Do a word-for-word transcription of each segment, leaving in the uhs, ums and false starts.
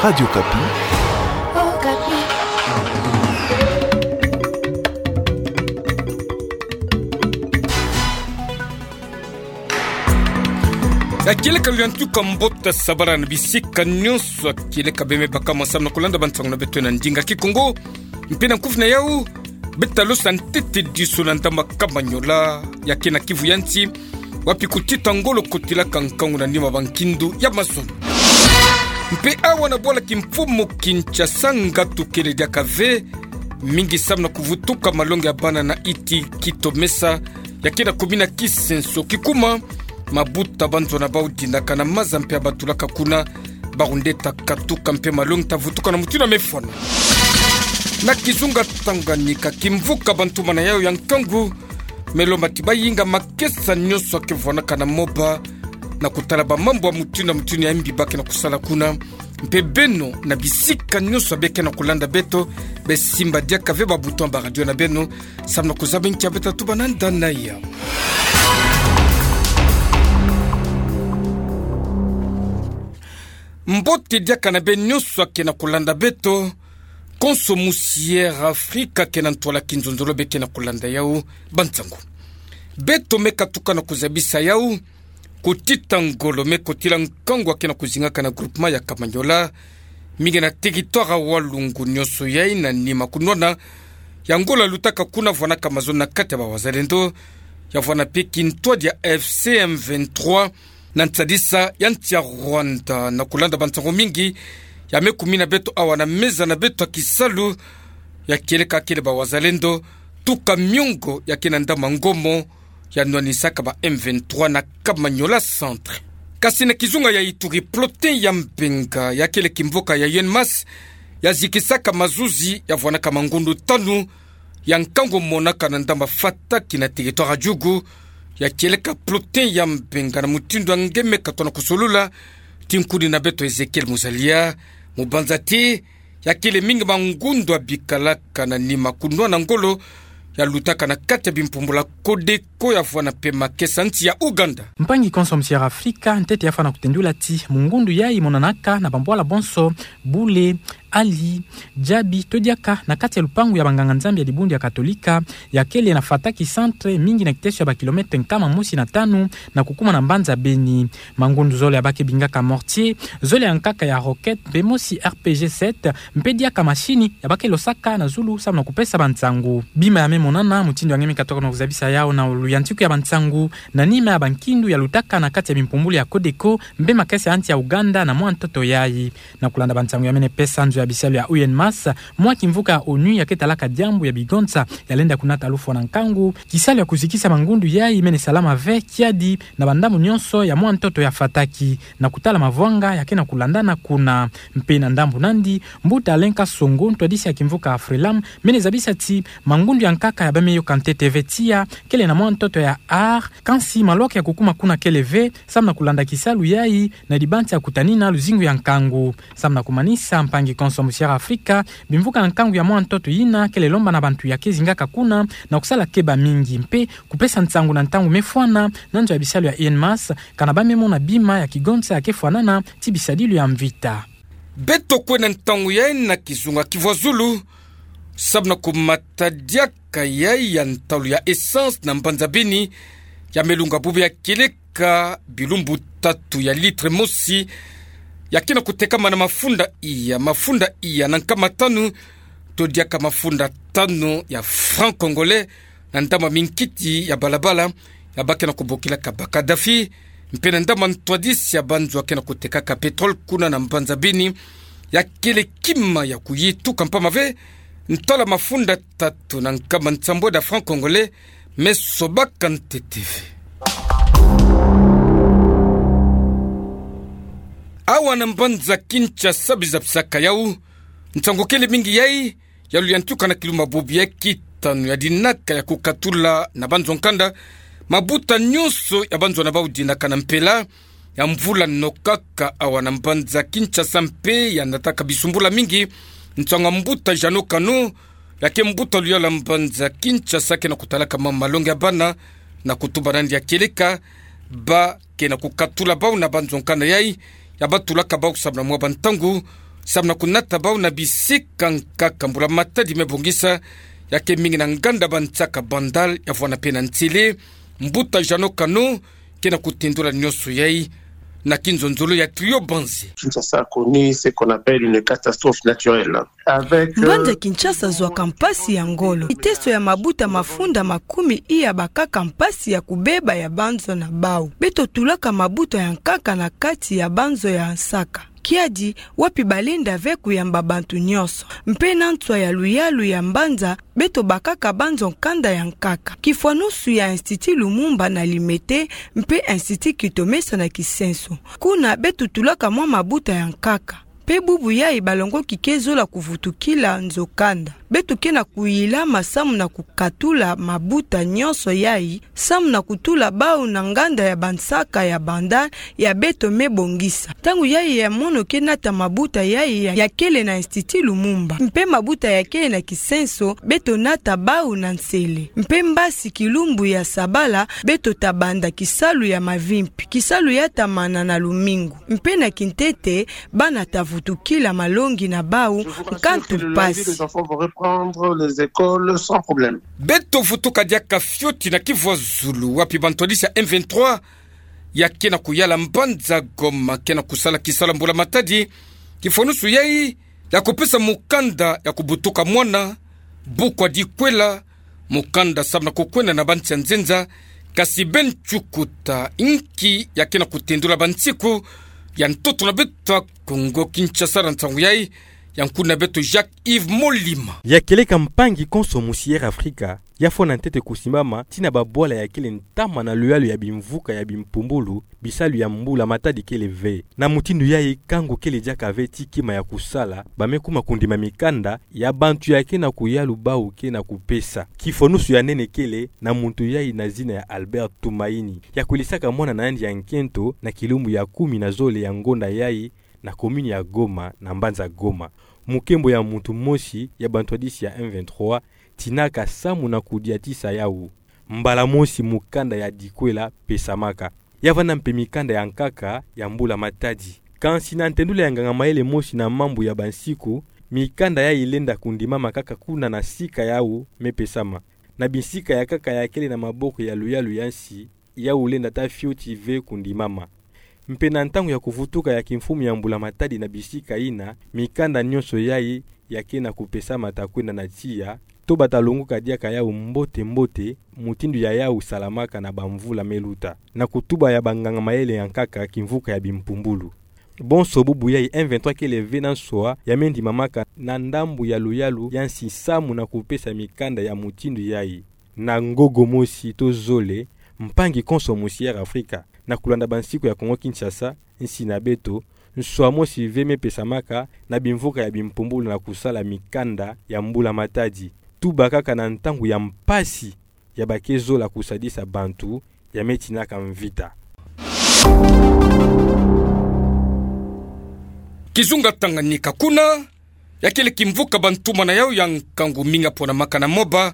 Radio Okapi. Okapi. Ya kieleka luyantuka mbote sabara na bisika nyonso, ya kieleka beme baka mwa samu na kulanda bansangu na beto na ndinga Kikongo. Mpe na nkufi na yau, beta losa ntete diso na ndambu ya Kamanyola, ya kena Kivu ya nsi, wapi kutita ngolo kotilaka nkangu na nima bankindu ya mazono. Mpe awa na bwala kimfumu Kinshasa, ngatu kele diaka ve, mingi samu na kuvutuka malongi ya bana na Iti Kitomesa, ya kena kumina Kisenso kikuma, mabuta banzona bau dinaka na maza mpe ya batulaka kuna, bawu nde ta katuka mpe malongi ta vutuka na mutindu ya mefwana. Na kizunga Tanganyika, kimvuka bantumana yau ya nkangu, me lomba ti bayinga makesa nyonso ya ke vwanaka na moba, na kutala bamambu ya mutindu na mutindu ya mbi ba ke na kusala kuna, mpe beno na bisika nyonso ya be ke na kulanda beto, be simba diaka ve ba bouton ya ba radio na beno, samu na kuzaba nki ya beta tuba na nda na ya. Mbote diaka na beno nyonso ya ke na kulanda beto, konso musi Air Afrika ke na ntwala kinzonzolo be ke na kulanda yau bansangu. Beto me katuka na kuzabisa yau, kutita ngolo me kotila nkangu ya ke na kuzingaka na groupement ya Kamanyola, mingi na territoire ya Walungu nyonso yai na nima kunwana ya ngolo ya lutaka kuna vwanaka mazono na kati ya ba wazalendo, ya vwana mpe kintwadi ya A F C M vingt-trois, na nsadisa ya nsi ya Rwanda. Na kulanda bansangu mingi ya me kumina beto awa na meza na beto ya kisalu, ya kieleka kele ba wazalendo, tuka miongo ya ke na ndambu ya Ngomo, ya nwanisaka ba M vingt-trois na Kamanyola Centre. Kasi na kizunga ya Ituri, peloton ya Mbenga, ya kele kimvuka ya U N M A S, ya zikisaka mazuzi ya vwanaka mangundu tanu ya nkangu monaka na ndambu ya Fataki na territoire ya Djugu, ya kieleka peloton ya Mbenga na mutindu ya nge me katona kusolula, ti nkuni na beto Ezekiel Muzalia, mubanza ti ya kele mingi mangundu ya bikalaka na nima kunwana ngolo ya lutaka na kati ya bimpumbulu ya Codeco ya vwana mpe makesa nsi ya Ouganda. Mpangi konso musi Air Afrika, ntete ya fwana kutendula ti mungundu yai monanaka na bambwala bonso, bule, ali, jabi, to diaka na kati ya lupangu ya banganga-Nzambi ya dibundu ya Katolika, ya kele na Fataki Centre, mingi na kiteso ya ba kilomètre nkama mosi na tanu, na kukuma na mbanza Beni. Mangundu zole ya ba ke bingaka mortier, zole ya nkaka ya roquette, mpe mosi R P G sept, mpe diaka masini ya ba ke losaka na zulu samu na kupesa bansangu. Bima ya me monana, mutindu ya nge me katoka na kuzabisa yau na luyantiku ya bansangu, na nima ya bankindu ya lutaka na kati ya bimpumbulu ya Codeco, mpe makesa ya nsi ya Ouganda na mwa ntoto yai. Na kulanda bansangu ya mene pesa nzo ya bisalu ya U N M A S, mwa kimvuka ya ONU ya ke talaka diambu ya bigonsa ya lenda kunata lufwa na nkangu, kisalu ya kuzikisa mangundu yai mene salama ve kiadi na bandambu nyonso ya mwa ntoto ya Fataki, na kutala mavwanga ya ke na kulandana kuna. Mpe na ndambu nandi, mbuta Alain Kasongo, ntwadisi ya kimvuka Afrilam, mene zabisa ti mangundu ya nkaka ya ba me yoka ntete ve tiya kele na mwa ntoto ya Har, kansi malwaka ya kukuma kuna kele ve, samu na kulanda kisalu yai, na dibanza ya kutanina luzingu ya nkangu. Samu na kumanisa, mpangi konso musi Air Afrika, bimvuka na nkangu ya mwa ntoto yina kele lomba na bantu ya ke zingaka kuna na kusala keba mingi, mpe kupesa nsangu na ntangu me fwana na nzo ya bisalu ya U N M A S, kana ba me mona bima ya kigonsa ya ke fwanana ti bisadilu ya mvita. Beto kwe na ntangu yai na kizunga kivwazulu, samu na kumata diaka yai ya ntalu ya essence na mbanza Beni, ya me lunga bubu ya kieleka bilumbu tatu ya litre mosi, ya ke na kutekama na mafunda iya, mafunda iya na nkama tanu, to diaka mafunda tanu ya francs congolais, na ndambu ya minkiti ya balabala, ya ba ke na kubokilaka ba Kadhafi, mpe na ndambu ya ntwadisi ya banzo ya ke na kutekaka pétrole kuna na mbanza Beni, ya kele kima ya kuyituka mpamba ve, ntalu ya mafunda tatu na nkama nsambwadi ya francs congolais, me sobaka ntete ve. Awa na mbanza Kinshasa bizabisaka yau, nsangu kele mingi yai, ya luyantuka na kilumbu bubu ya kitanu ya dinaka ya kukatula na banzo nkanda, mabuta nyonso ya banzo na bau dinaka na mpela ya mvula nokaka awa na mbanza Kinshasa mpe ya nataka bisumbula mingi, nsangu ya mbuta Jeannot Kano, ya ke mbuta luyalu ya mbanza Kinshasa ke na kutalaka ma malongi ya bana, na kutuba nandi ya kieleka, ba ke na kukatula bau na banzo nkanda yai, ya batulaka bau samu na mwa bantangu, Samu na kunata bau na bisika nkaka mbula matadi me bongisa, ya ke mingi na nganda bansaka Bandal, ya vwanda mpe na ntele, mbuta Jeannot Kano, ke na kutendula nionso yai, na kinzonzolo ya Trio Banzi. Kinshasa a connu ce qu'on appelle une catastrophe naturelle. Avec, euh, Mbanza Kinshasa zwaka mpasi ya ngolo. Kiteso ya mabuta mafunda makumi iya bakaka mpasi ya kubeba ya banzo na bau. Beto tulaka mabuta ya nkaka na kati ya banzo ya nsaka. Kiadi, wapi balenda ve kuyamba bantu nionso. Mpe na nswa ya luyalu ya mbanza, beto bakaka banzo nkanda ya nkaka. Kifwanusu ya Institut Lumumba na Limete, mpe Institut Kitomesa na Kisenso. Kuna beto tulaka mwa mabuta ya nkaka. Mpe bubu yai balongoki ke zola kuvutukila nzo kanda. Beto ke na kuyilama samu na kukatula mabuta nionso yai, samu na kutula bau na nganda ya bansaka ya Bandal ya beto me bongisa. Ntangu yai ya mono ke nata mabuta yai ya, ya kele na Institut Lumumba. Mpe mabuta ya kele na Kisenso, beto nata bau na nsele. Mpe mbasi kilumbu ya sabala, beto ta banda kisalu ya mavimpi. Kisalu ya ta mana na lumingu. Mpe na kintete, bana ta vutukila malongi na bau, nkantu mpasi. Je vous rassure que le lundi, les enfants vont reprendre les écoles sans problème. Beto vutuka diaka fioti na Kivu ya Zulu, wapi bantwadisi ya M vingt-trois ya ke na kuyala mbanza Goma, ke na kusala kisalu ya mbula matadi, kifwanusu yai, ya kupesa mukanda ya kubutuka mwana, buku ya Dikwela, mukanda samu na kukwenda na bansi ya nzenza, kasi beni cukuta, inki ya ke na kutendula bansiku ya ntoto na beto ya Kongo Kinshasa na nsangu yai, ya nkuna beto Jacques Yves Molima. Ya kieleka mpangi konso musi Air Africa, ya fwana ntete kusimbama, tii na babwala ya kele ntama na luyalu ya bimvuka ya bimpumbulu, bisalu ya mbula matadi kele ve. Na mutindu yai kangu kele diaka ve tii kima ya kusala, ba me kuma kundima mikanda ya bantu ya ke na kuyalu bau ke na kupesa. Kifwanusu ya nene kele na muntu yai na zina ya Albert Tumaini. Ya kwilisaka mwana na yandi ya nkento na kilumbu ya kumi na zole ya ngonda yai na commune ya Goma na mbanza Goma. Mukembo ya muntu mosi ya bantwadisi ya M vingt-trois tinaka samu na kudiatisa yau. Mbala mosi mukanda ya Dikwela pesamaka. Ya vanda mpe mikanda ya nkaka ya mbula matadi. Kansi na ntendula ya nganga mayele mosi na mambu ya bansiku, mikanda yai lenda kundimama kaka kuna na sika yau me pesama. Na bisika ya nkaka ya kele na maboko ya luyalu ya nsi, yau lenda ta fioti ve kundimama. Mpe na ntangu ya kuvutuka ya kimfumu ya mbula matadi na bisika yina, mikanda nionso yai ya ke na kupesama ta kwenda na tiya, to ba ta longoka diaka yau mbote-mbote, mutindu ya yau salamaka na bamvula me luta. Na kutuba ya banganga mayele ya nkaka kimvuka ya bimpumbulu. Bonso bubu yai M vingt-trois kele ve na nswa ya me ndimamaka na ndambu ya luyalu ya nsi samu na kupesa mikanda ya mutindu yai. Na ngogo mosi to zole, mpangi konso musi Air Africa, na kulanda bansiku ya Kongo Kinshasa, nsi na beto, nswa mosi ve me pesamaka na bimvuka ya bimpumbulu na kusala mikanda ya mbula matadi. Tuba kaka na ntangu ya mpasi ya ba ke zola kusadisa bantu ya me tinaka mvita. Kizunga Tanganyika kuna, ya kele kimvuka bantumwa na yau ya nkangu mingi ya ponamaka na moba,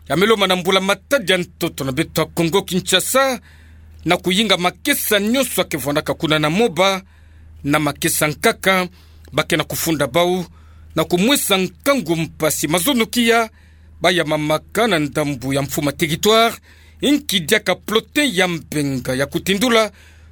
ya me lomba na mbula matadi ya ntoto na beto ya Kongo Kinshasa, na kuyinga makesa nionso ya ke vwandaka kuna na moba, na makesa nkaka, ba ke na kufunda bau, na kumwesa nkangu mpasi mazono kia, ba ya mamaka na ndambu ya mfuma territoire, inki diaka plotin ya mbenga ya kutindula,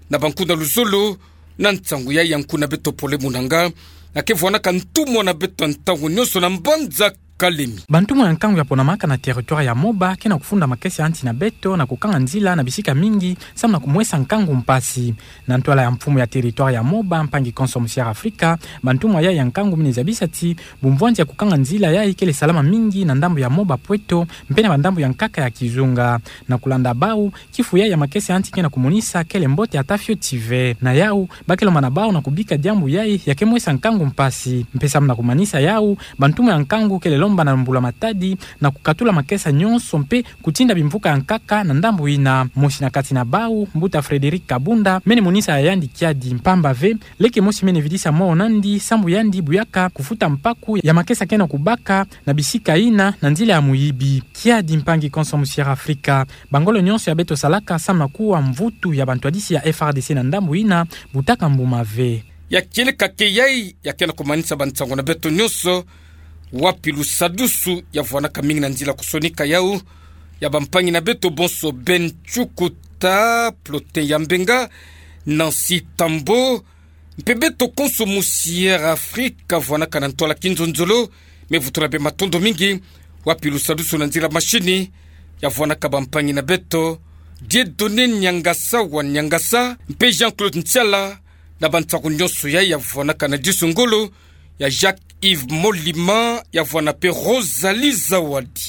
na bankuna luzolo, na nsangu yai ya nkuna beto Pole Munanga, ya ke vwanaka ntumwa na beto ntangu nionso na mbanza Kalemi. Bantumwa ya nkangu ya ponamaka na territoire ya moba, ke na kufunda makesa ya nsi na beto, na kukanga nzila na bisika mingi, samu na kumwesa nkangu mpasi. Na ntwala ya mfumu ya territoire ya moba, mpangi konso musi Air Africa, bantumwa yai ya nkangu mine zabisa ti, bumvwanzi ya kukanga nzila yai kele salama mingi na ndambu ya moba Pweto, mpe na bandambu ya nkaka ya kizunga. Na kulanda bau, kifu yai ya makesa ya nsi ke na kumonisa kele mbote ata fioti ve. Na yau, ba ke lomba na bau na kubika diambu yai ya ke mwesa nkangu mpasi. Mpe samu na kumanisa yau, bantumwa ya nkangu kele lomba na mbula matadi, na kukatula makesa nionso mpe kutinda bimvuka ya nkaka na ndambu yina. Mosi na kati na bau, mbuta Frédéric Kabunda, mene monisa ya yandi kiadi mpamba ve, leke mosi mene vidisa mwa nandi, sambu yandi buyaka kufuta mpaku ya makesa ke na kubaka na bisika yina na nzila ya muyibi. Kiadi mpangi konso musi Air Africa, bangolo nionso ya beto salaka samu na kuwa mvutu ya bantwadisi ya F R D C na ndambu yina, butaka mbuma ve. Ya kieleka keyai, ya kena kumanisa bansango na beto nyonso. Wapi lusadusu ya vwanaka mingi na nzila kusonika yau, ya bampangi na beto bonso: Ben Chukuta, Plotin Yambenga, Nancy Tambo, mpe beto konso mu Sierra Africa vwanaka na ntwala kinzonzolo. Mevutula bê matondo mingi. Wapi lusadusu na nzila mashini ya vwanaka bampangi na beto: Dieudonné Niangasa wa Niangasa, mpe Jean-Claude Ntiala, na bansango nyonso yai ya vwanaka na disu ngolo, ya Jacques Yves Molima, ya vwana mpe Rosalie Zawadi.